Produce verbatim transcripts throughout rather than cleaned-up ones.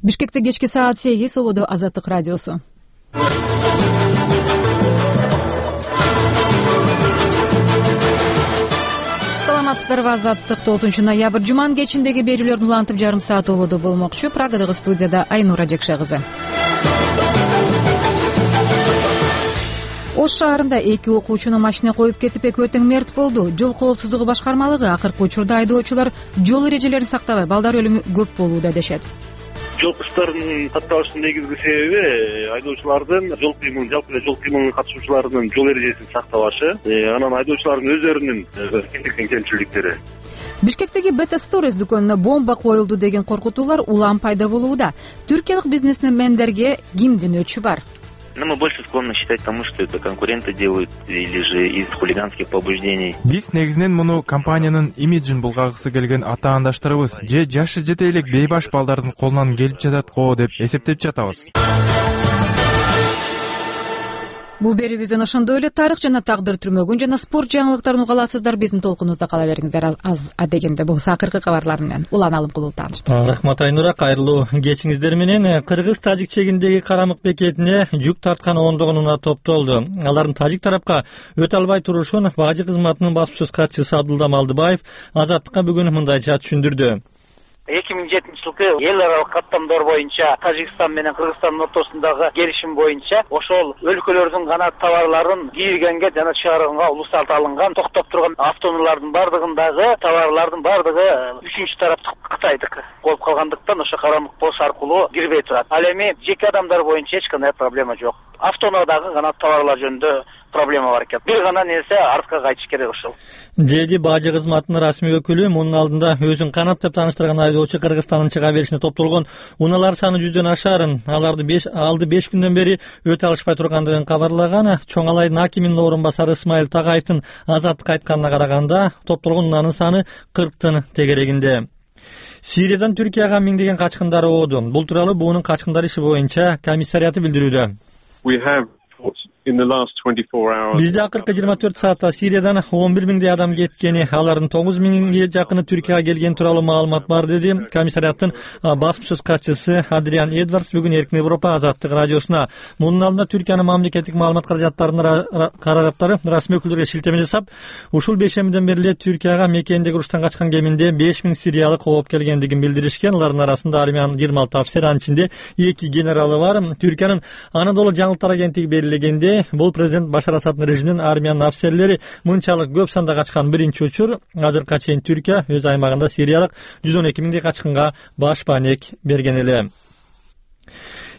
Бишкекте кечки саат сегиз, ободо Азаттык радиосу. Саламатсыздарбы, Азаттык тогузунчу ноябрь жуманын кечиндеги берүүлөрдүн улантып жарым саат ободо болмокчу. Прагадагы студияда Айнура Жекше кызы. Ош шаарында эки окуучуну машина коюп кетип, экөө тең мерт болду. Жол коопсуздугу башкармалыгы акыркы учурда айдоочулар жол эрежелерин сактабай балдар өлүмү көп болууда дешет. Жол кыштарынын катталышынын негизги себеби айдоочулардын жол кыймылын, жалпы эле жол кыймылына катышуучулардын жол эрежесин сактабашы, анан айдоочулардын өздөрүнүн эркиндик кемчиликтери. Бишкектеги Beta Stories дүкөнүнө бомба коюлду деген коркутуулар улам пайда болууда. Түркиялык бизнесмендерге кимдин өчү бар? Но мы больше склонны считать тому, что это конкуренты делают или же из хулиганских побуждений. Биз негизинен муну компаниянын имиджин булгагысы келген атаандаштарыбыз же жашы жете элек бейбаш балдардын колунан келип жатат го деп эсептеп жатабыз. Бул берүүбүздөн ошондой эле тарых жана тагдыр түрмөгүн жана спорт жаңылыктарын уга аласыздар. Биздин толкунубузда кала бериңиздер. Az адегенде болсо акыркы кабарлар менен улан алым кылуу тааныштырабыз. Рахмат Айнура, кайрылуу кечиңиздер менен. Кыргыз-Тажик чегиндеги Карамык бекетине жүк тарткан ондогон унаа топтолду. Алардын тажик тарапка өтө албай турушун бажы кызматынын басма сөз катчысы Абдулла Малдыбаев Азаттыкка бүгүн мындайча түшүндүрдү. эки миң жетинчи жылкы эл аралык каттамдар боюнча Тажикстан менен Кыргызстандын ортосундагы келишим боюнча ошол өлкөлөрдүн гана товарларын киргенге жана чыгарганга уруксат алынган, токтоп турган автоунаалардын бардыгындагы товарлардын бардыгы үчүнчү тараптык Кытайдык болуп калгандыктан ошо Карамык пош аркылуу кирбей турат. Ал эми жеке адамдар боюнча эч кандай проблема жок. Автоунаадагы гана товарлар жөнүндө проблема бар экен. Бир гана нерсе артка кайтыш керек ошол. Деди бажы кызматынын расмий өкүлү. Мунун алдында өзүн канат деп тааныштырган айдоочу Кыргызстандын чыга беришине топтолгон унаалар саны жүздөн ашарын, аларды беш алды беш күндөн бери өтө алышпай тургандыгын кабарлаган. Чоң Алайдын акиминин орун басары Исмайыл Тагаевдин Азаттыкка айтканына караганда топтолгон унаанын саны кырктын тегерегинде. Сириядан Түркияга миңдеген качкындар ооду. Бул тууралуу буунун качкындар иши боюнча комиссарияты билдирүүдө. Бизде акыркы жыйырма төрт саатта Сириядан он бир миңдей адам кеткени, алардын тогуз миңге жакыны Түркияга келген тууралуу маалымат бар, деди комиссарияттын басма сөз катчысы Адриан Эдвардс бүгүн Эркин Европа Азаттык радиосуна. Мунун алдында Түркиянын мамлекеттик маалымат каражаттарынын каражаттары расмий өкүлдөргө шилтеме жасап, ушул бейшембиден бери эле Түркияга Мекендеги уруштан качкан кеминде беш миң сириялык ооп келгендигин билдиришкен. Алардын арасында армиянын жыйырма алты офицери, анын ичинде эки генералы бар. Түркиянын Анадолу жаңылыктар агенттиги белгилегенде, бул президент Башар Асаддын режиминин армиянын офицерлери мынчалык көп санда качкан биринчи учур. Азыркыга чейин Түркия өз аймагында сириялык жүз он эки миңдей качкынга баш баанек берген эле.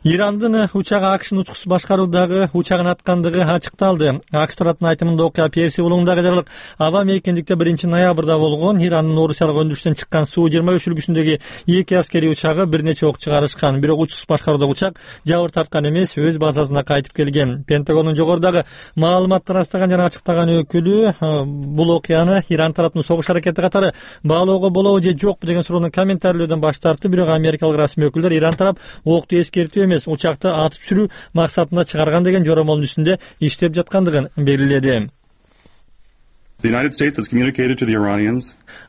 Ирандын учагы АКШнын учкусуз башкаруудагы учагын аткандыгы ачыкталды. АКШ тарапынын айтымында окуя Перси булугундагы жарылык аба мейкиндикте биринчи ноябрда болгон. Ирандын Орусиялык өндүрүштөн чыккан Су жыйырма беш үлгүсүндөгү эки аскерий учагы бир нече ок чыгарышкан. Бирок учкусуз башкаруудагы учак жабыр тарткан эмес, өз базасына кайтып келген. Пентагондун жогорудагы маалыматтар астаган жана ачыктаган өкүлү бул окуяны Иран тарапынын согуш аракети катары баалоого болобу же жокпу деген суроону комментарийлөөдөн баш тартты. Бирок америкалык расмий өкүлдөр Иран тарап окту эскертүү эмес, учакты атып сүрүү максатында чыгарган деген жоромолдун үстүндө иштеп жаткандыгын белгиледи.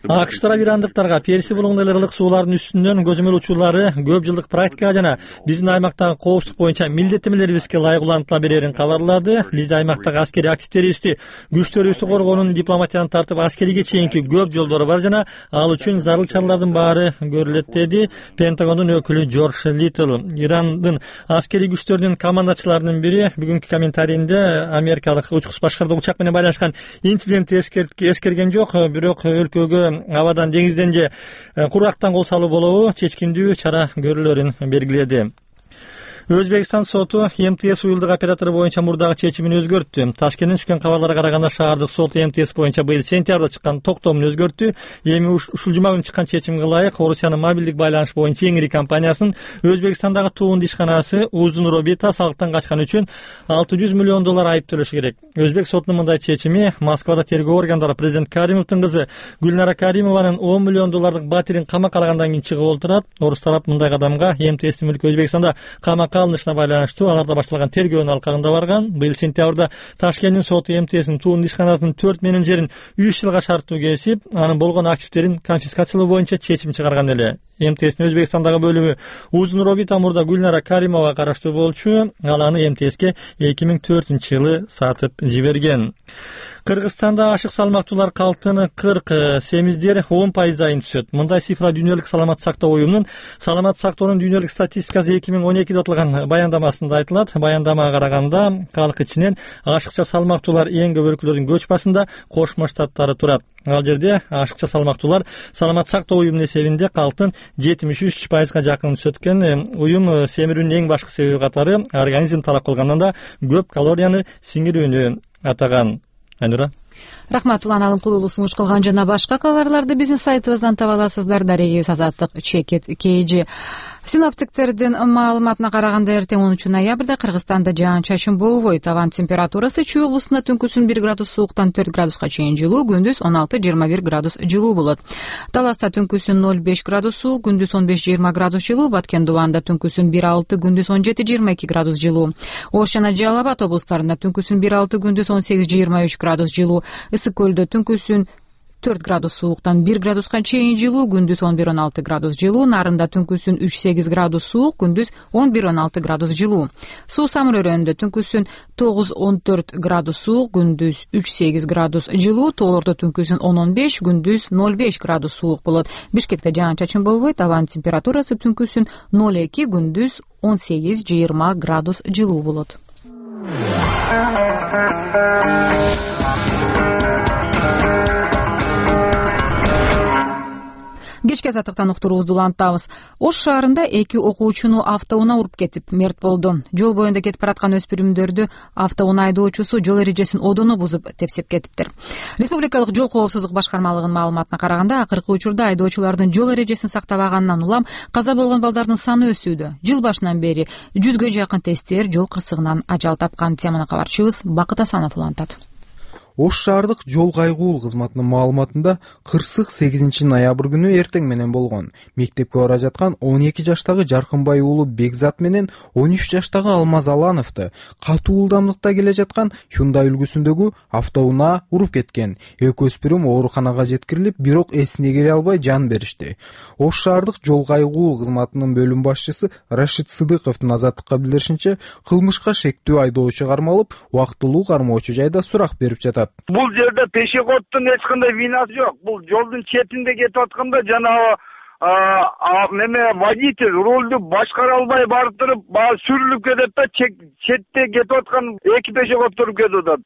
АКШ тарап ирандыктарга Перси булугундагы ылык суулардын үстүнөн көзөмөл учуулары көп жылдык практика жана биздин аймактагы коопсуздук боюнча милдеттемелерибизге ылайык улантыла берерин кабарлады. Бизде аймактагы аскерий активдерибизди, күчтөрүбүздү коргоонун дипломатияны тартып аскерийге чейинки көп жолдору бар жана ал үчүн зарыл чаралардын баары көрүлөт, деди Пентагондун өкүлү Джордж Литл. Ирандын аскерий күчтөрүнүн командачыларынын бири бүгүнкү комментарийинде америкалык учкусуз башкаруудагы учак менен байланышкан инцидент эскерген жок, бирок өлкөгө абадан, деңизден же кургактан кол салуу болобу чечкиндүү чара көрүлөрүн белгиледи. Өзбекстан соту МТС уюлдук оператору боюнча мурдагы чечимин өзгөрттү. Ташкенттен түшкөн кабарларга караганда шаардык сот МТС боюнча быйыл сентябрда чыккан токтомун өзгөрттү. Эми ушул жума күнү чыккан чечимге ылайык Орусиянын мобилдик байланыш боюнча эң ири компаниясынын Өзбекстандагы туунду ишканасы Уздун Робита салыктан качкан үчүн алты жүз миллион доллар айып төлөшү керек. Өзбек сотунун мындай чечими Москвада тергөө органдары президент Каримовдун кызы Гүлнара Каримованын он миллион доллардык батирин камакка алгандан кийин чыгып олтурат. Орус тарап мындай кадамга МТСтин мүлкү Өзбекстанда камакка алынышына байланыштуу аларда башталган тергөөнүн алкагында барган. Быйыл сентябрда Ташкенттин соту МТСнин туунду ишканасынын төрт менеджерин үч жылга шарттуу кесип, анын болгон активдерин конфискациялоо боюнча чечим чыгарган эле. МТСтин Өзбекстандагы бөлүмү Узун Робита мурда Гүлнара Каримова караштуу болчу. Ал аны МТСке эки миң төртүнчү жылы сатып жиберген. Кыргызстанда ашык салмактуулар калтыны кырк семиздер он пайыздайын түсөт. Мындай цифра Дүйнөлүк саламат сактоо уюмунун саламат сактоонун дүйнөлүк статистикасы эки миң он экиде атылган баяндамасында айтылат. Баяндамага караганда калк ичинен ашыкча салмактуулар эң көп өлкөлөрдүн көч басында Кошмо Штаттары турат. Ал жерде ашыкча салмактуулар саламат сактоо уюмунун эсебинде калтын жетимиш үч пайызга жакын түсөткөн. Уюм семирүүнүн эң башкы себеби катары организм талап кылгандан да көп калорияны сиңирүүнү атаган. Айнура. Рахмат, Улан Алымкулуулу сунуш кылган жана башка кабарларды биздин сайтыбыздан таба аласыздар. Дарегибиз Азаттык Чекит Кейжи. Синоптиктердин маалыматына караганда эртең онунчу ноябрда Кыргызстанда жаан-чачын болбойт. Абан температурасы Чүй облусунда түнкүсүн бир градус сууктан төрт градуска чейин жылуу, күндүз он алты жыйырма бир градус жылуу болот. Таласта түнкүсүн ноль беш градус суук, күндүз он беш жыйырма градус жылуу, Баткен Дубанда түнкүсүн бир алты, күндүз он жети жыйырма эки градус жылуу. Ош жана Жалал Абад облустарында түнкүсүн бир алты, күндүз он сегиз жыйырма үч градус жылуу. Ысык көлдө түнкүсүн төрт градус сууктан бир градуска чейин жылуу, күндүз он бир он алты градус жылуу. Нарында түнкүсүн үч сегиз градус суук, күндүз он бир он алты градус жылуу. Суу Самыр өрөөнүндө түнкүсүн тогуз он төрт градус суук, күндүз үч сегиз градус жылуу. Тоолордо түнкүсүн он он беш, күндүз ноль беш градус суук болот. Бишкекте жаан-чачын болбойт. Абанын температурасы түнкүсүн ноль эки, күндүз он сегиз жыйырма градус жылуу болот. Кечки азаттыктан уктуруубузду улантабыз. Ош шаарында эки окуучуну автоунаа уруп кетип мерт болду. Жол боюнда кетип бараткан өспүрүмдөрдү автоунаа айдоочусу жол эрежесин одоно бузуп тепсеп кетиптир. Республикалык жол коопсуздук башкармалыгынын маалыматына караганда, акыркы учурда айдоочулардын жол эрежесин сактабаганынан улам каза болгон балдардын саны өсүүдө. Жыл башынан бери жүзгө жакын тесттер жол кырсыгынан ажал тапкан. Теманы кабарчыбыз Бакыт Асанов улантат. Ош шаардык жол кайгуул кызматынын маалыматында кырсык сегизинчи ноябрь күнү эртең менен болгон. Мектепке бара жаткан он эки жаштагы Жаркынбай уулу Бекзат менен он үч жаштагы Алмаз Алановду катуу ылдамдыкта келе жаткан Hyundai үлгүсүндөгү автоунаа уруп кеткен. Эки өспүрүм ооруканага жеткирилип, бирок эсине келе албай жан беришти. Ош шаардык жол кайгуул кызматынын бөлүм башчысы Рашид Сыдыковдун Азаттыкка билдиришинче, кылмышка шектүү айдоочу кармалып, убактылуу кармоочу жайда сурак берип жатат. Бул жерде пешеходдун эч кандай винасы жок. Бул жолдун четинде кетип атканда жанагы неме водитель рулду башкара албай барып туруп, баягы сүрүлүп кетет да, четте кетип аткан эки пешеход туруп кетип атат.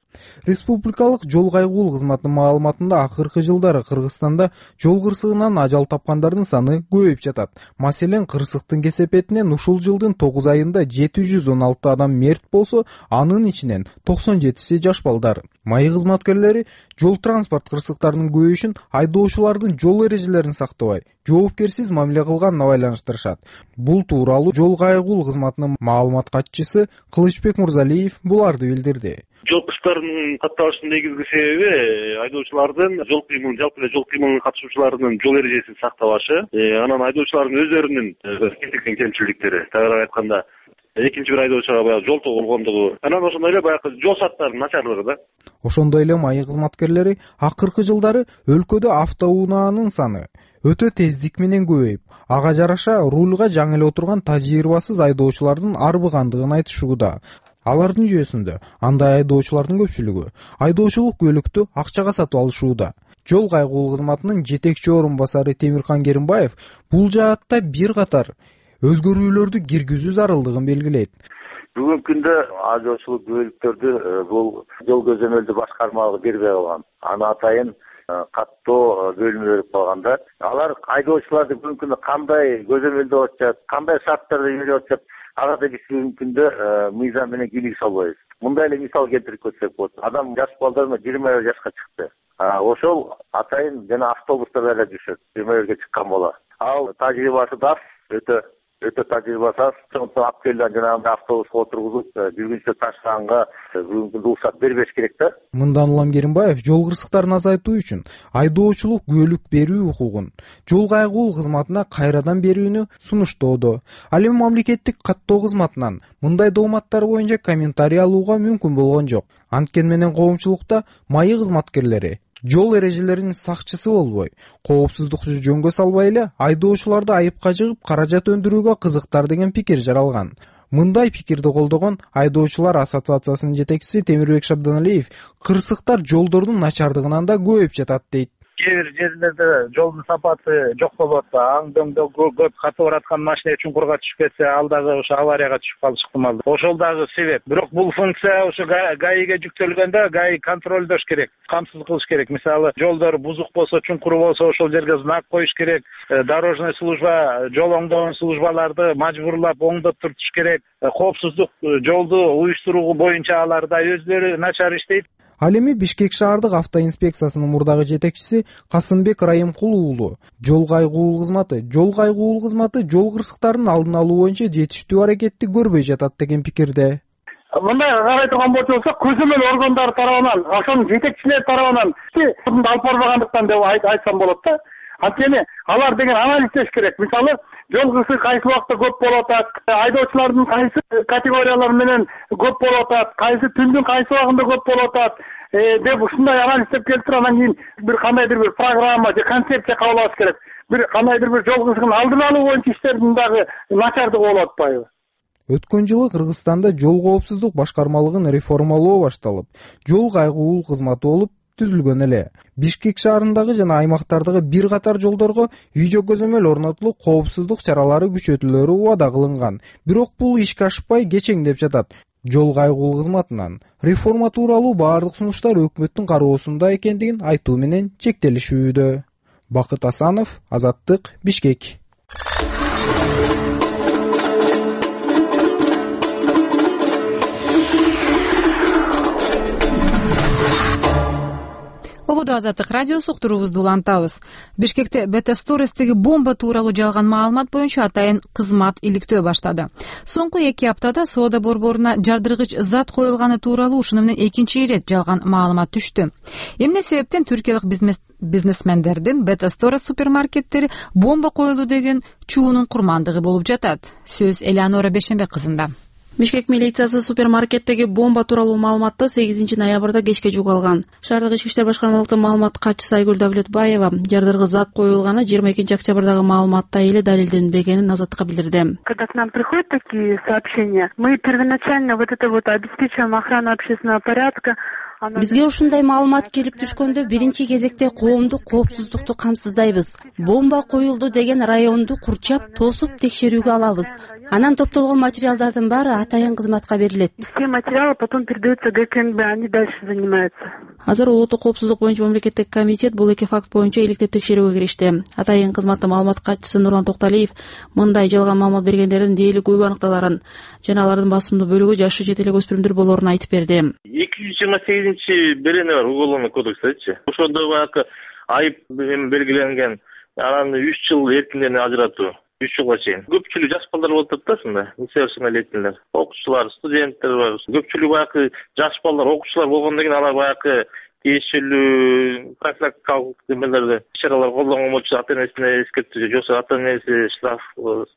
Республикалык жол кайгуул кызматынын маалыматында акыркы жылдары Кыргызстанда жол кырсыгынан ажал тапкандардын саны көбөйүп жатат. Маселен, кырсыктын кесепетинен ушул жылдын тогуз айында жети жүз он алты адам мерт болсо, анын ичинен токсон жетиси жаш балдар. Маи кызматкерлери жол транспорт кырсыктарынын көбөйүшүн айдоочулардын жол эрежелерин сактабай, жоопкерсиз мамиле кылганына байланыштырышат. Бул тууралуу жол кайгуул кызматынын маалымат катчысы Кылычбек Мурзалиев буларды билдирди. Жол кырсыктарынын катталышынын негизги себеби айдоочулардын жол кыймылын, жалпы эле жол кыймылына катышуучулардын жол эрежесин сактабашы, анан айдоочулардын өздөрүнүн келтирген кемчиликтери. Тагыраак айтканда, экинчи бир айдоочуга баягы жол болгондугу, анан ошондой эле баягы жол саттарынын начарлыгы да. Ошондой эле маи кызматкерлери акыркы жылдары өлкөдө автоунаанын саны өтө тездик менен көбөйүп, ага жараша рульга жаңы эле отурган тажрыйбасыз айдоочулардын арбыгандыгын айтышууда. Алардын жүйөсүндө андай айдоочулардын көпчүлүгү айдоочулук көлүктү акчага сатып алышууда. Жол кайгуул кызматынын жетекчи орун басары Темирхан Керимбаев бул жаатта бир катар өзгөрүүлөрдү киргизүү зарылдыгын белгилейт. Бүгүнкү күндө айдоочулук бөлүктөрдү бул жол көзөмөлдү башкармалыгы бербей калган. Аны атайын каттоо бөлүмү берип калганда, алар айдоочуларды бүгүнкү күндө кандай көзөмөлдө атышат, кандай шарттарды берип атышат, ага да биз бүгүнкү күндө мыйзам менен кийлик салбайбыз. Мындай эле мисал келтирип көтсөк болот. Адам жаш балдар жыйырма бир жашка чыкты. Ошол атайын жана автобустарда эле жүрүшөт. жыйырма бирге чыккан бола. Ал тажрыйбасы да өтө өтө тажрыйбасы аз. Ошондуктан алып келген жанагындай автобуска отургузуп, жүргүнчү ташыганга бүгүнкү күндө уруксат бербеш керек да. Мындан улам Керимбаев жол кырсыктарын азайтуу үчүн айдоочулук күбөлүк берүү укугун жол кайгуул кызматына кайрадан берүүнү сунуштоодо. Ал эми мамлекеттик каттоо кызматынан мындай дооматтар боюнча комментарий алууга мүмкүн болгон жок. Анткени менен коомчулукта маи кызматкерлери жол эрежелеринин сакчысы болбой, коопсуздукту жөнгө салбай эле айдоочуларды айыпка жыгып каражат өндүрүүгө кызыктар деген пикир жаралган. Мындай пикирди колдогон Айдоочулар ассоциациясынын жетекчиси Темирбек Шабданалиев кырсыктар жолдордун начардыгынан да көбөйүп жатат дейт. Кээ бир жерлерде жолдун сапаты жок болот, аңдөңдө көп катып бараткан машина чуңкурга түшүп кетсе, ал дагы ошо аварияга түшүп калышы ыктымал. Ошол дагы себеп. Бирок бул функция ошо ГАИге жүктөлгөндө ГАИ контролдош керек, камсыз кылыш керек. Мисалы, жолдор бузук болсо, чуңкур болсо, ошол жерге знак коюш керек. Дорожный служба, жол оңдогон службаларды мажбурлап оңдоп туртуш керек. Коопсуздук жолду уюштуруу боюнча алар да өзлөрү начар иштейт. Ал эми Бишкек шаардык автоинспекциясынын мурдагы жетекчиси Касымбек Райымкул уулу жол кайгуул кызматы жол кайгуул кызматы жол кырсыктарынын алдын алуу боюнча жетиштүү аракетти көрбөй жатат деген пикирде. Мындай карай турган болсок, көзөмөл органдар тарабынан, ошонун жетекчилери тарабынан алып барбагандыктан деп айтсам болот да. Анткени алар деген анализдеш керек. Мисалы, жол кырсыгы кайсы убакта көп болуп атат, айдоочулардын кайсы категориялар менен көп болуп атат, кайсы түндүн кайсы убагында көп болуп атат деп ушундай анализдеп келтирип, анан кийин бир кандайдыр бир программа же концепция кабыл алыш керек. Бир кандайдыр бир жол кырсыгын алдын алуу боюнча иштердин дагы начардыгы болуп атпайбы? Өткөн жылы Кыргызстанда жол коопсуздук башкармалыгын реформалоо башталып, жол кайгуул кызматы болуп түзүлгөн эле. Бишкек шаарындагы жана аймактардагы бир катар жолдорго видео көзөмөл орнотулуп, коопсуздук чаралары күчөтүлөрү убада кылынган. Бирок бул ишке ашпай кечеңдеп жатат. Жол кайгуул кызматынан реформа тууралуу баардык сунуштар өкмөттүн кароосунда экендигин айтуу менен чектелишүүдө. Бакыт Асанов, Азаттык, Бишкек. Ободо Азаттык радиосу уктуруубузду улантабыз. Бишкекте Бетасторестеги бомба тууралуу жалган маалымат боюнча атайын кызмат иликтөө баштады. Соңку эки аптада соода борборуна жардыргыч зат коюлганы тууралуу ушуну менен экинчи ирет жалган маалымат түштү. Эмне себептен түркиялык бизнес бизнесмендердин Бетасторес супермаркеттери бомба коюлду деген чуунун курмандыгы болуп жатат. Сөз Элеонора Бешенбек кызында. Бишкек милициясы супермаркеттеги бомба тууралуу маалыматты сегизинчи ноябрда кечке жугалган. Шаардык ички иштер башкармалыгынын маалымат катчысы Айгүл Давлетбаева жардыргыч зат коюлганы жыйырма экинчи октябрдагы маалыматта эле далилденбегенин Азаттыкка билдирди. Когда к нам приходят такие сообщения, мы первоначально вот это вот обеспечиваем охрану общественного порядка. Бизге ушундай маалымат келип түшкөндө биринчи кезекте коомдук коопсуздукту камсыздайбыз. Бомба коюлду деген районду курчап, тосуп текшерүүгө алабыз. Анан топтолгон материалдардын баары атайын кызматка берилет. Все материалы потом передаются ГКНБ, они дальше занимаются. Азыр улуттук коопсуздук боюнча мамлекеттик комитет бул эки факт боюнча иликтеп текшерүүгө киришти. Атайын кызматтын маалымат катчысы Нурлан Токталиев мындай жалган маалымат бергендердин дээрлик көп аныкталарын жана алардын басымдуу бөлүгү жашы жете элек өспүрүмдөр болоорун айтып берди. эки жүз жыйырма сегизинчи берене бар уголовный кодексдечи. Ошондо баягы айып белгиленген. Анан үч жыл эркинден ажыратуу. үч жылга чейин. Көпчүлүгү жаш балдар болуп атат да, несовершеннолетнийлер. Окуучулар, студенттер бар. Көпчүлүгү баягы жаш балдар, окуучулар болгондон кийин алар баягы тиешелүү профилактикалык немелерди, чаралар колдонгон болчу, ата-энесине эскертүү, жоксо ата-энеси штраф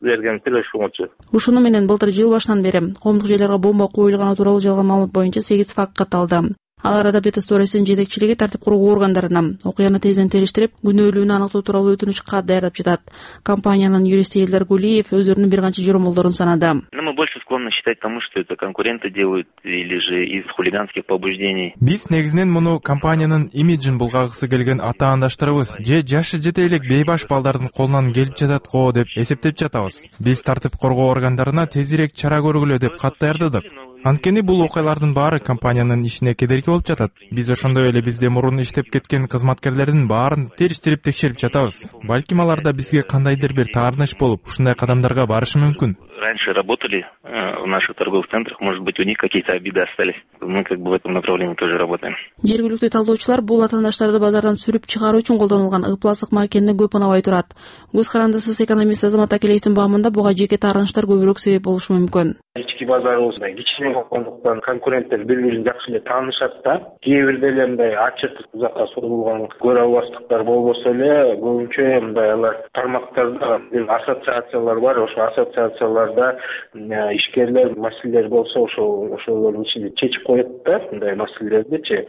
берген төлөшмөчү. Ушуну менен былтыр жыл башынан бери коомдук жерлерге бомба коюлганы тууралуу жалган маалымат боюнча сегиз факт катталды. Ал арада Бетасторестин жетекчилиги тартип куруу органдарына окуяны тезден териштирип, күнөөлүүнү аныктоо тууралуу өтүнүч кат даярдап жатат. Компаниянын юристи Элдар Гулиев өзүрүнүн бир канча жоромолдорун санады. Мы больше склонны считать тому, что это конкуренты делают или же из хулиганских побуждений. Биз негизинен муну компаниянын имиджин булгагысы келген атаандаштарыбыз же жашы жете элек бейбаш балдардын колунан келип жатат го деп эсептеп жатабыз. Биз тартип коргоо органдарына тезирээк чара көргүлө деп кат даярдадык. Анткени бул окуялардын баары компаниянын ишине кедерги болуп жатат. Биз ошондой эле бизде мурун иштеп кеткен кызматкерлердин баарын териштирип текшерип жатабыз. Балким аларда бизге кандайдыр бир таарыныч болуп, ушундай кадамдарга барышы мүмкүн. Раньше работали в наших торговых центрах, может быть, у них какие-то обиды остались. Мы как бы в этом направлении тоже работаем. Жергиликтүү талдоочулар бул атаандаштарды базардан сүрүп чыгаруу үчүн колдонулган ыпласык макенни көп унабай турат. Көз карандысыз экономист Азамат Акелеевдин баамында буга жеке таарынычтар көбүрөөк себеп болушу мүмкүн. Ички базарыбыз кичине болгондуктан конкуренттер бири-бирин жакшы эле таанышат да. Кээ бирде эле мындай ачык узакка созулган көрө албастыктар болбосо эле көбүнчө мындай алар тармактарда ассоциациялар бар. Ошо ассоциацияларда ишкерлер маселелер болсо ошол ошолордун ичинде чечип коет да мындай маселелердичи.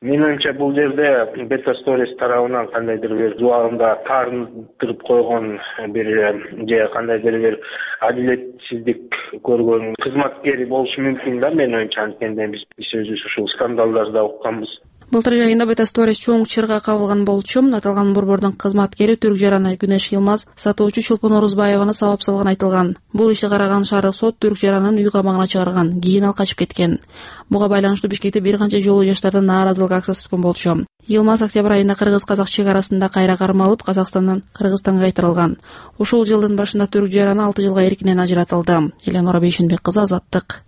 Менин оюмча бул жерде Beta Stories тарабынан кандайдыр бир зубагында таарындырып койгон бир же кандайдыр бир адилетсиздик көргөн кызматкери болушу мүмкүн да менин оюмча. Анткенде биз өзүбүз ушул скандалдарды укканбыз. Былтыр жайында Beta Stories чоң чырга кабылган болчу. Аталган борбордун кызматкери Түрк жараны Күнөш Йылмаз сатуучу Чолпон Орузбаеваны сабап салган айтылган. Бул ишти караган шаардык сот Түрк жаранын үй камагына чыгарган. Кийин ал качып кеткен. Буга байланыштуу Бишкекте бир канча жолу жаштардын нааразылык акциясы өткөн болчу. Йылмаз октябрь айында кыргыз-казак чек арасында кайра кармалып, Казакстандан Кыргызстанга кайтарылган. Ушул жылдын башында Түрк жараны алты жылга эркинен ажыратылды. Эленора Бейшенбек кызы, Азаттык.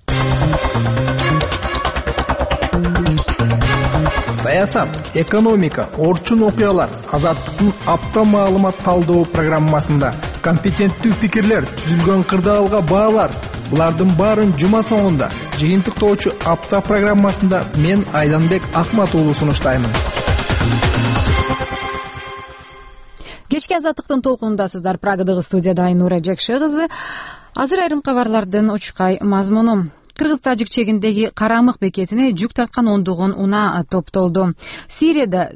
Саясат, экономика, орчун окуялар Азаттыктын апта маалымат талдоо программасында компетенттүү пикирлер, түзүлгөн кырдаалга баалар. Булардын баарын жума соңунда жыйынтыктоочу апта программасында мен Айданбек Акмат уулу сунуштаймын. Кечки Азаттыктын толкунундасыздар. Прагадагы студияда Айнура Жекше кызы. Азыр айрым кабарлардын учкай мазмуну. Кыргыз-тажик чегиндеги Карамык бекетине жүк тарткан ондогон унаа топтолду. Сирияда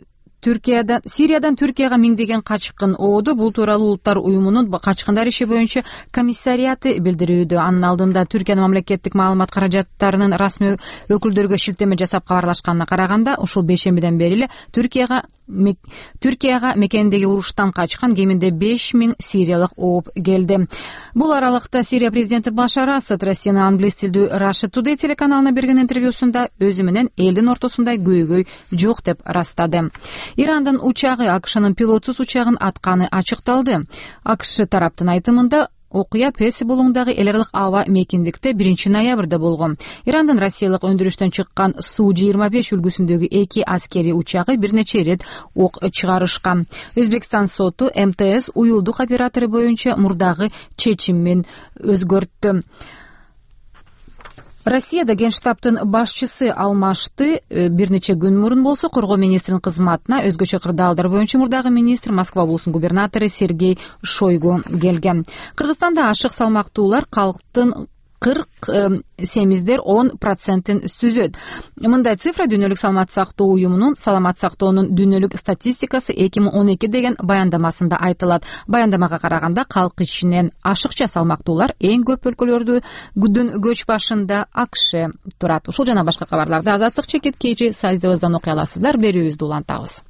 Түркиядан Сириядан Түркияга миңдеген качкын ооду. Бул тууралуу Улуттар уюмунун качкындар иши боюнча комиссарияты билдирүүдө. Анын алдында Түркиянын мамлекеттик маалымат каражаттарынын расмий өкүлдөргө шилтеме жасап кабарлашканына караганда, ушул бейшембиден бери эле Түркияга Түркияга мекендеги уруштан качкан кеминде беш миң сириялык ооп келди. Бул аралыкта Сирия президенти Башар Асад Россиянын англис тилдүү Russia Today телеканалына берген интервьюсунда өзү менен элдин ортосунда көйгөй жок деп ырастады. Ирандын учагы АКШнын пилотсуз учагын атканы ачыкталды. АКШ тараптын айтымында окуя Перси булуңдагы эл аралык аба мекендикте биринчи ноябрда болгон. Ирандын Россиялык өндүрүштөн чыккан Су жыйырма беш үлгүсүндөгү эки аскери учагы бир нече ирет ок чыгарышкан. Өзбекстан соту эм тэ эс уюлдук оператору боюнча мурдагы чечимин өзгөрттү. Россияда Генштабтын башчысы алмашты. Бир нече күн мурун болсо коргоо министринин кызматына өзгөчө кырдаалдар боюнча мурдагы министр Москва облусунун губернатору Сергей Шойгу келген. Кыргызстанда ашык салмактуулар калктын кырк семиздер он процентин түзөт. Мындай цифра Дүйнөлүк саламат сактоо уюмунун саламат сактоонун дүйнөлүк статистикасы эки миң он эки деген баяндамасында айтылат. Баяндамага караганда калк ичинен ашыкча салмактуулар эң көп өлкөлөрдү күдүн көч башында АКШ турат. Ушул жана башка кабарларды Азаттык чекит кейжи сайтыбыздан окуй аласыздар. Берүүбүздү улантабыз.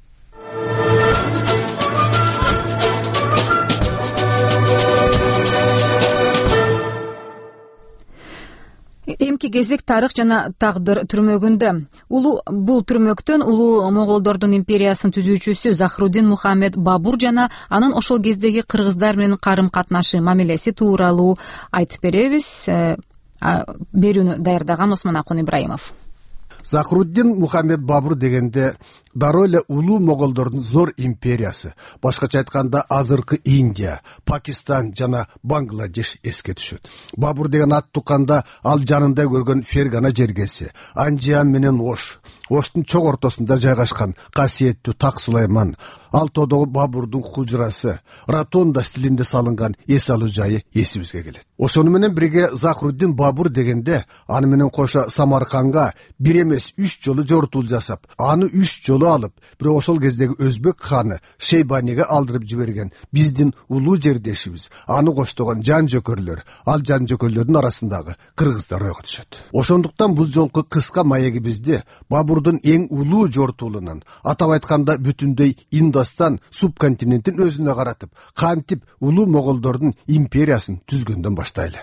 Эмки кезек тарых жана тагдыр түрмөгүндө. Улуу бул түрмөктөн улуу моголдордун империясынын түзүүчүсү Захруддин Мухаммед Бабур жана анын ошол кездеги кыргыздар менен карым-катнашы, мамилеси тууралуу айтып беребиз. Берүүнү даярдаган Осмон Акун Ибраимов. Захруддин Мухаммед Бабур дегенде дароо эле улуу моголдордун зор империясы, башкача айтканда азыркы Индия, Пакистан жана Бангладеш эске түшөт. Бабур деген ат тукканда ал жанында көргөн Фергана жергеси, Анжиан менен Ош, Оштун чок ортосунда жайгашкан касиеттүү Так Сулайман, Алтоодогу Бабурдун хужрасы, ротонда стилинде салынган эс алуу жайы эсибизге келет. Ошону менен бирге Захруддин Бабур дегенде аны менен кошо Самарканга бир эмес үч жолу жортуул жасап, аны үч жолу алып, бирок ошол кездеги өзбек ханы Шейбаниге алдырып жиберген биздин улуу жердешибиз, аны коштогон жан жөкөрлөр, ал жан жөкөрлөрдүн арасындагы кыргыздар ойго түшөт. Ошондуктан бул жолку кыска маегибизди Бабурдун эң улуу жортуулунан, атап айтканда бүтүндөй Индостан субконтинентин өзүнө каратып, кантип улуу моголдордун империясын түзгөндөн баштайлы.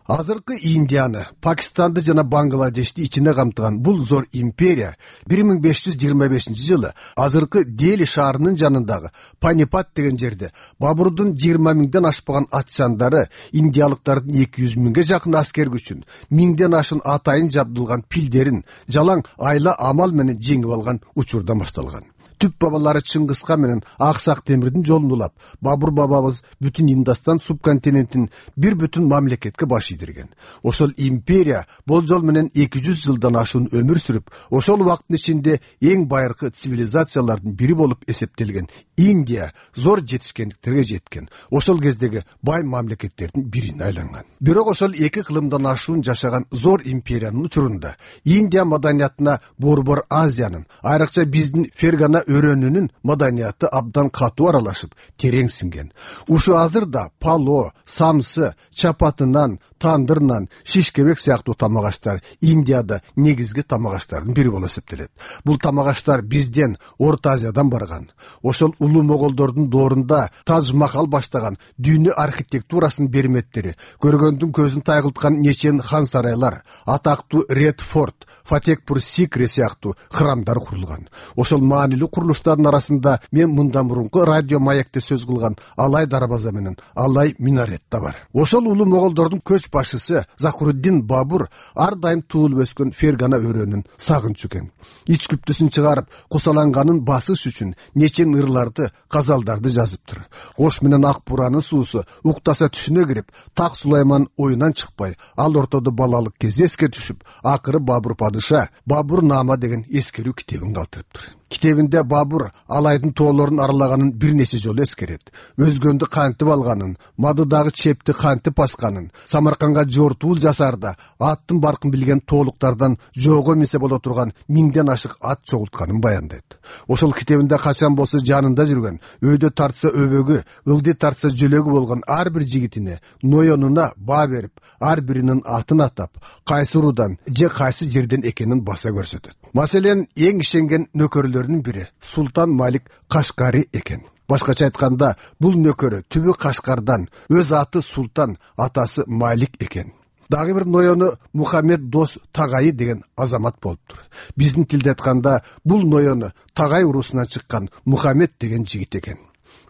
Азыркы Индияны, Пакистанды жана Бангладешти ичине камтыган бул зор империя бир миң беш жүз жыйырма бешинчи жылы азыркы Дели шаарынын жанындагы Панипат деген жерде Бабурдун жыйырма миңден ашпаган атчандары индиялыктардын эки жүз миңге жакын аскер күчүн, миңден ашын атайын жабдылган пилдерин жалаң айла амал менен жеңип алган учурдан башталган. Түп бабалары Чыңгызхан менен Аксак Темирдин жолун улап, Бабур бабабыз бүтүн Индостан субконтинентин бир бүтүн мамлекетке баш ийдирген. Ошол империя болжол менен эки жүз жылдан ашуун өмүр сүрүп, ошол убакыттын ичинде эң байыркы цивилизациялардын бири болуп эсептелген Индия зор жетишкендиктерге жеткен. Ошол кездеги бай мамлекеттердин бирине айланган. Бирок ошол эки кылымдан ашуун жашаган зор империянын учурунда Индия маданиятына Борбор Азиянын, айрыкча биздин Фергана өрөөнүнүн маданияты абдан катуу аралашып, терең сиңген. Ушу азырда пало, самсы, чапатынан, тандырнан, шишкебек сыяктуу тамак аштар Индияда негизги тамак аштардын бири болуп эсептелет. Бул тамак аштар бизден Орто Азиядан барган. Ошол улуу моголдордун доорунда Тадж Махал баштаган дүйнө архитектурасынын берметтери, көргөндүн көзүн тайгылткан нечен хан сарайлар, атактуу Ред Форт, Фатекпур Сикри сыяктуу храмдар курулган. Ошол маанилүү курулуштардын арасында мен мындан мурунку радио маекте сөз кылган Алай дарбаза менен Алай минарет да бар. Ошол улуу моголдордун көч башчысы Захруддин Бабур ар дайым туулуп өскөн Фергана өрөөнүн сагынчу экен. Ич күптүсүн чыгарып, кусаланганын басыш үчүн нечен ырларды, казалдарды жазыптыр. Ош менен Ак Буранын суусу уктаса түшүнө кирип, Так Сулайман оюнан чыкпай, ал ортодо балалык кезде эске түшүп, акыры Бабур падыша Бабур Наама деген эскерүү китебин калтырыптыр. Китебинде Бабур Алайдын тоолорун аралаганын бир нече жолу эскерет. Өзгөндү кантип алганын, Мадыдагы чепти кантип басканын, Самарканга жортуул жасарда аттын баркын билген тоолуктардан жоого минсе боло турган миңден ашык ат чогултканын баяндайт. Ошол китебинде качан болсо жанында жүргөн, өйдө тартса өбөгү, ылды тартса жөлөгү болгон ар бир жигитине, ноёнуна баа берип, ар биринин атын атап, кайсы уруудан же кайсы жерден экенин баса көрсөтөт. Маселен, эң ишенген нөкөрлөрүнүн бири Султан Малик Кашкари экен. Башкача айтканда, бул нөкөрү түбү Кашкардан, өз аты Султан, атасы Малик экен. Дагы бир ноёну Мухаммед Дос Тагайы деген азамат болуптур. Биздин тилде айтканда, бул ноёну Тагай уруусунан чыккан Мухаммед деген жигит экен.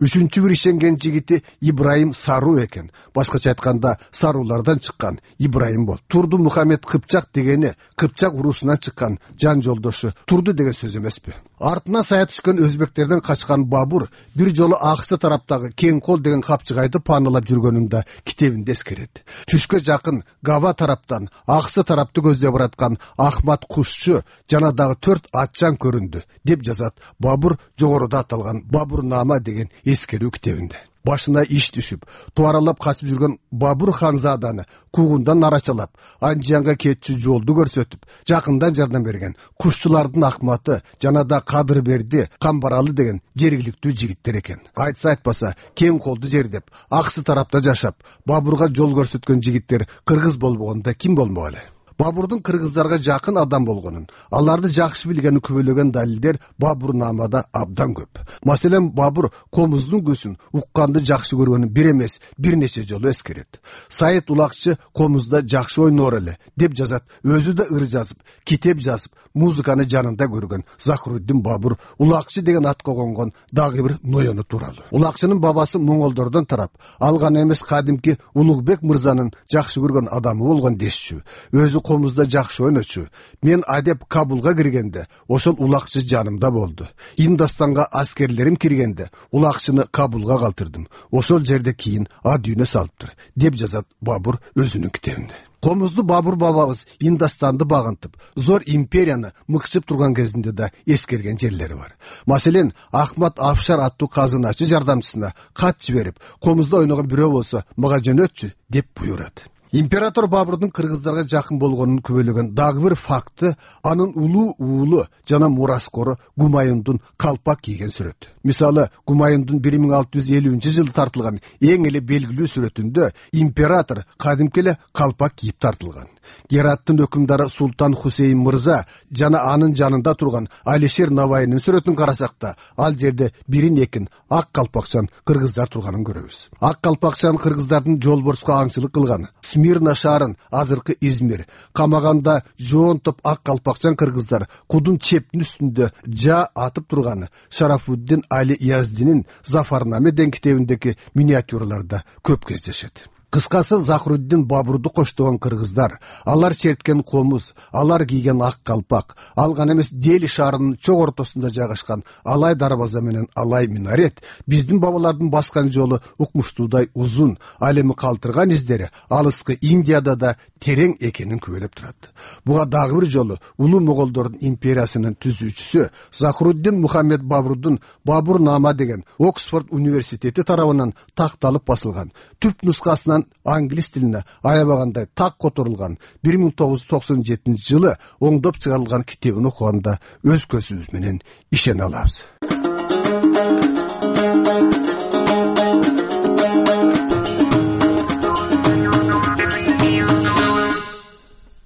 Үчүнчү бир ишенген жигити Ибраим Сару экен. Башкача айтканда, сарулардан чыккан Ибраим бол. Турду Мухаммед Кыпчак дегени Кыпчак уруусунан чыккан жан жолдошу Турду деген сөз эмеспи? Артына сая түшкөн өзбектерден качкан Бабур бир жолу аксы тараптагы Кең кол деген капчыгайды паналап жүргөнүн да китебинде эскерет. Түшкө жакын Габа тараптан аксы тарапты көздөй бараткан Ахмат Кушчу жана дагы төрт атчан көрүндү деп жазат Бабур жогоруда аталган Бабур Наама деген эскерүү китебинде. Башына иш түшүп, туаралап качып жүргөн Бабур ханзаданы куугундан арачалап, Анжиянга кетчү жолду көрсөтүп, жакындан жардам берген Кушчулардын Акматы жана да Кадырберди, Камбаралы деген жергиликтүү жигиттер экен. Айтса айтпаса, Кең колду жердеп, аксы тарапта жашап, Бабурга жол көрсөткөн жигиттер кыргыз болбогонда ким болмок эле? Бабурдун кыргыздарга жакын адам болгонун, аларды жакшы билгенин күбөлөгөн далилдер Бабур Наамада абдан көп. Маселен, Бабур комуздун көзүн укканды жакшы көргөнүн бир эмес, бир нече жолу эскерет. Сайыт Улакчы комузда жакшы ойноор эле деп жазат, өзү да ыр жазып, китеп жазып, музыканы жанында көргөн Захруддин Бабур Улакчы деген атка конгон дагы бир ноёну тууралуу. Улакчынын бабасы моңголдордон тарап, ал гана эмес кадимки Улугбек мырзанын жакшы көргөн адамы болгон дешчү. Өзү комузда жакшы ойночу. Мен адеп Кабулга киргенде, ошол Улакчы жанымда болду. Индостанга аскерлерим киргенде, Улакчыны Кабулга калтырдым. Ошол жерде кийин а дүйнө салыптыр, деп жазат Бабур өзүнүн китебинде. Комузду Бабур бабабыз Индостанды багынтып, зор империяны мыкчып турган кезинде да эскерген жерлери бар. Маселен, Ахмат Афшар аттуу казыначы жардамчысына кат жиберип, комузда ойногон бирөө болсо мага жөнөтчү деп буйрат. Император Бабурдун кыргыздарга жакын болгонун күбөлөгөн дагы бир факты анын улуу уулу жана мураскору Гумаюндун калпак кийген сүрөтү. Мисалы, Гумаюндун бир миң алты жүз элүүнчү жылы тартылган эң эле белгилүү сүрөтүндө император кадимки эле калпак кийип тартылган. Гераттын өкүмдары Султан Хусейн мырза жана анын жанында турган Алишер Навайнын сүрөтүн карасак да, ал жерде бирин экин ак калпакчан кыргыздар турганын көрөбүз. Ак калпакчан кыргыздардын жолборско аңчылык кылган, Смирна шаарын, азыркы Измир, камаганда жоон топ ак калпакчан кыргыздар кудун чептин үстүндө жа атып турганы Шарафуддин Али Яздинин Зафарнаме деген китебиндеги миниатюраларда көп кездешет. кыскасы Захруддин Бабурду коштогон кыргыздар, алар черткен комуз, алар кийген ак калпак, ал гана эмес Дели шаарынын чок ортосунда жайгашкан Алай дарбаза менен Алай минарет биздин бабалардын баскан жолу укмуштуудай узун, ал эми калтырган издери алыскы Индияда да терең экенин күбөлөп турат. Буга дагы бир жолу улуу моголдордун империясынын түзүүчүсү Захруддин Мухаммед Бабурдун Бабурнама деген Оксфорд университети тарабынан такталып басылган, түп нускасынан англис тилине аябагандай так которулган бир миң тогуз жүз токсон жетинчи жылы оңдоп чыгарылган китебин окуганда өз көзүбүз менен ишене алабыз.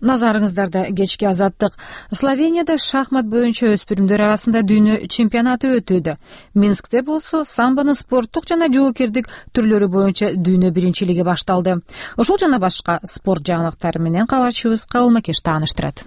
Назарыңыздарда кечки азаттык. Словенияда шахмат боюнча өспүрүмдөр арасында дүйнө чемпионаты өтүүдө. Минскте болсо самбонун спорттук жана жоокердик түрлөрү боюнча дүйнө биринчилиги башталды. Ошол жана башка спорт жаңылыктары менен кабарчыбыз Кабыл Макеш тааныштырат.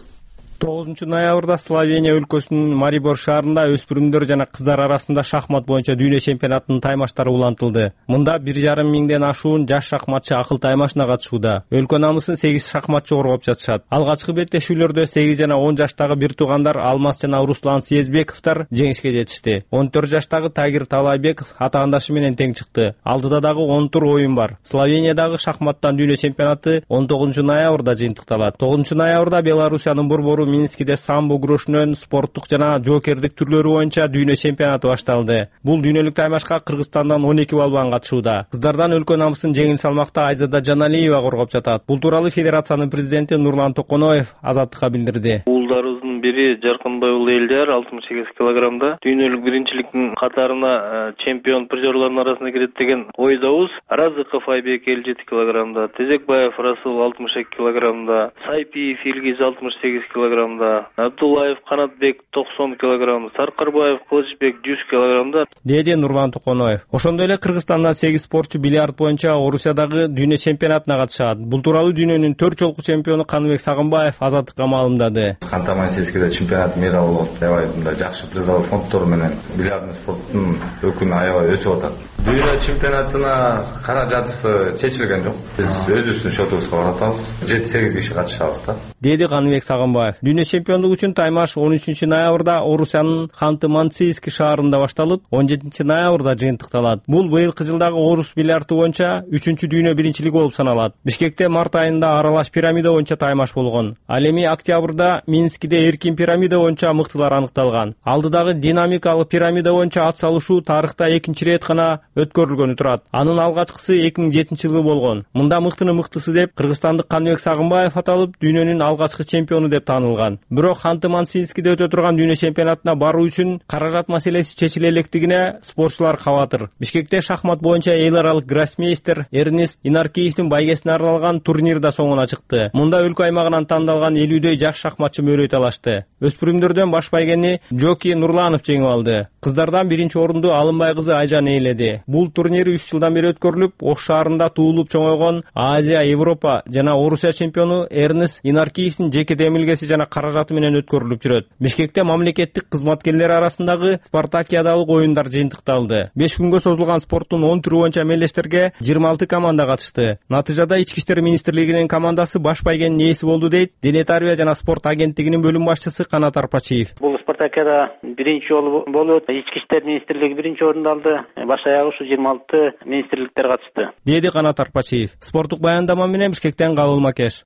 тогузунчу ноябрда Словения өлкөсүнүн Марибор шаарында өспүрүмдөр жана кыздар арасында шахмат боюнча дүйнө чемпионатынын таймаштары улантылды. Мында бир жарым миңден ашуун жаш шахматчы акыл таймашына катышууда. Өлкө намысын сегиз шахматчы коргоп жатышат. Алгачкы беттешүүлөрдө сегиз жана он жаштагы бир туугандар Алмаз жана Руслан Съездбековдор жеңишке жетишти. он төрт жаштагы Тагир Талайбеков атаандашы менен тең чыкты. Алдыда дагы он тур оюн бар. Словениядагы шахматтан дүйнө чемпионаты он тогузунчу ноябрда жыйынтыкталат. тогузунчу ноябрда Белоруссиянын борбору Минскиде самбо күрөшүнөн спорттук жана жоокердик түрлөрү боюнча дүйнө чемпионаты башталды. Бул дүйнөлүк таймашка Кыргызстандан он эки балбан катышууда. Кыздардан өлкө намысын жеңил салмакта Айзада Жаналиева коргоп жатат. Бул тууралуу федерациянын президенти Нурлан Токоноев Азаттыкка билдирди. Уулдарыбыздын бири Жаркынбай уулу Элдияр алтымыш сегиз килограммда дүйнөлүк биринчиликтин катарына чемпион призерлордун арасына кирет деген ойдобуз. Разыков Айбек элүү жети килограммда, Тезекбаев Расул алтымыш эки килограммда, Сайпиев Илгиз алтымыш сегиз килограммда, Абдуллаев Канатбек токсон килограмм, Саркарбаев Кылычбек жүз килограммда, деди Нурлан Токоноев. Ошондой эле Кыргызстандан сегиз спортчу бильярд боюнча Орусиядагы дүйнө чемпионатына катышат. Бул тууралуу дүйнөнүн төрт жолку чемпиону Каныбек Сагынбаев Азаттыкка маалымдады. Ханты-Мансийскиде чемпионат мира болот. Аябай мындай жакшы призовой фонддор менен бильярдный спорттун өкүнү аябай өсүп атат. Дүйнө чемпионатына каражаты чечилген жок. Биз өзүбүздүн счетубузга баратабыз. жети сегиз киши катышабыз да. Деди Каныбек Сагынбаев. Дүйнө чемпиондук үчүн таймаш он үчүнчү ноябрда Орусиянын Ханты-Мансийский шаарында башталып, он жетинчи ноябрда жыйынтыкталат. Бул быйылкы жылдагы орус бильярды боюнча үчүнчү дүйнө биринчилиги болуп саналат. Бишкекте март айында аралаш пирамида боюнча таймаш болгон. Ал эми октябрда Минскиде эркин пирамида боюнча мыктылар аныкталган. Алдыдагы динамикалык пирамида боюнча ат салышуу тарыхта экинчи рет гана өткөрүлгөнү турат. Анын алгачкысы эки миң жетинчи жылы болгон. Мында мыктыны мыктысы деп кыргызстандык Каныбек Сагынбаев аталып, дүйнөнүн алгачкы чемпиону деп таанылган. Бирок Ханты-Мансийскиде өтө турган дүйнө чемпионатына баруу үчүн каражат маселеси чечиле электигине спортчулар кабатыр. Бишкекте шахмат боюнча эл аралык гроссмейстер Эрнест Инаркиевдин байгесине арналган турнир да соңуна чыкты. Мында өлкө аймагынан тандалган элүүдөй жаш шахматчы мөрөй талашты. Өспүрүмдөрдөн баш байгени Жоки Нурланов жеңип алды. Кыздардан биринчи орунду Алымбай кызы Айжан ээледи. Бул турнир үч жылдан бери өткөрүлүп, Ош шаарында туулуп чоңойгон Азия, Европа жана Орусия чемпиону Эрнест Инаркиевдин жеке демилгеси жана каражаты менен өткөрүлүп жүрөт. Бишкекте мамлекеттик кызматкерлер арасындагы спартакиадалык оюндар жыйынтыкталды. беш күнгө созулган спорттун он түрү боюнча эмелештерге жыйырма алты команда катышты. Натыйжада Ички иштер министрлигинин командасы баш байгенин ээси болду дейт Дене тарбия жана спорт агенттигинин бөлүм башчысы Канат Арпачиев. Бул спартакиада биринчи жолу болуп, Ички иштер министрлиги биринчи орунду алды. Баш аягы ушу жыйырма алты министрликтер катышты, деди Канат Арпачиев. Спорттук баяндама менен Бишкектен Кабыл Макеш.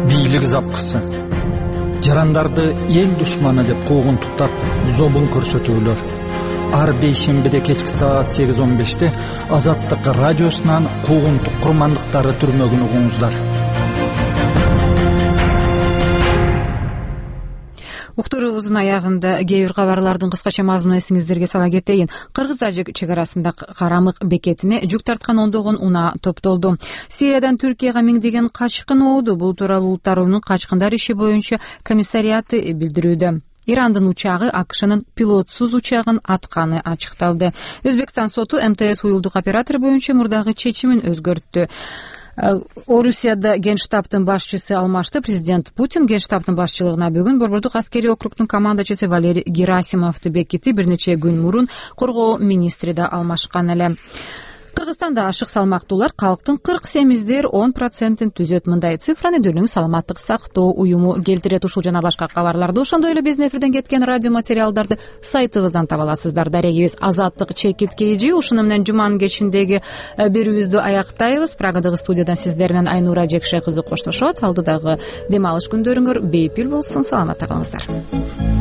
Бийлик запкысы. Жарандарды эл душманы деп куугунтуктап, зобун көрсөтүүлөр. Ар бейшембиде кечки саат сегиз он беште Азаттык радиосунан куугунтук курмандыктары түрмөгүн угуңуздар. Уктуруубуздун аягында кээ бир кабарлардын кыскача мазмунун эсиңиздерге сала кетейин. Кыргыз-тажик чек арасында Карамык бекетине жүк тарткан ондогон унаа топтолду. Сириядан Түркияга миңдеген качкын ооду. Бул тууралуу Улуттар уюмунун качкындар иши боюнча комиссариаты билдирүүдө. Ирандын учагы АКШнын пилотсуз учагын атканы ачыкталды. Өзбекстан соту МТС уюлдук оператор боюнча мурдагы чечимин өзгөрттү. Орусияда Генштабтын башчысы алмашты. Президент Путин Генштабтын башчылыгына бүгүн Борбордук аскерий округдун командачысы Валерий Герасимовду бекитти. Бир нече күн мурун коргоо министри да алмашкан эле. Кыргызстанда ашык салмактуулар калктын кырк семиздер он процентин түзөт. Мындай цифраны Дүнүң саламаттык сактоо уюму келтирет. Ушул жана башка кабарларды, ошондой эле биздин эфирден кеткен радио материалдарды сайтыбыздан таба аласыздар. Дарегибиз Азаттык Чекит Кейжи. Ушуну менен жуманын кечиндеги берүүбүздү аяктайбыз. Прагадагы студиядан сиздер менен Айнура Жекше кызы коштошот. Алдыдагы дем алыш күндөрүңөр бейпил болсун. Саламатта калыңыздар.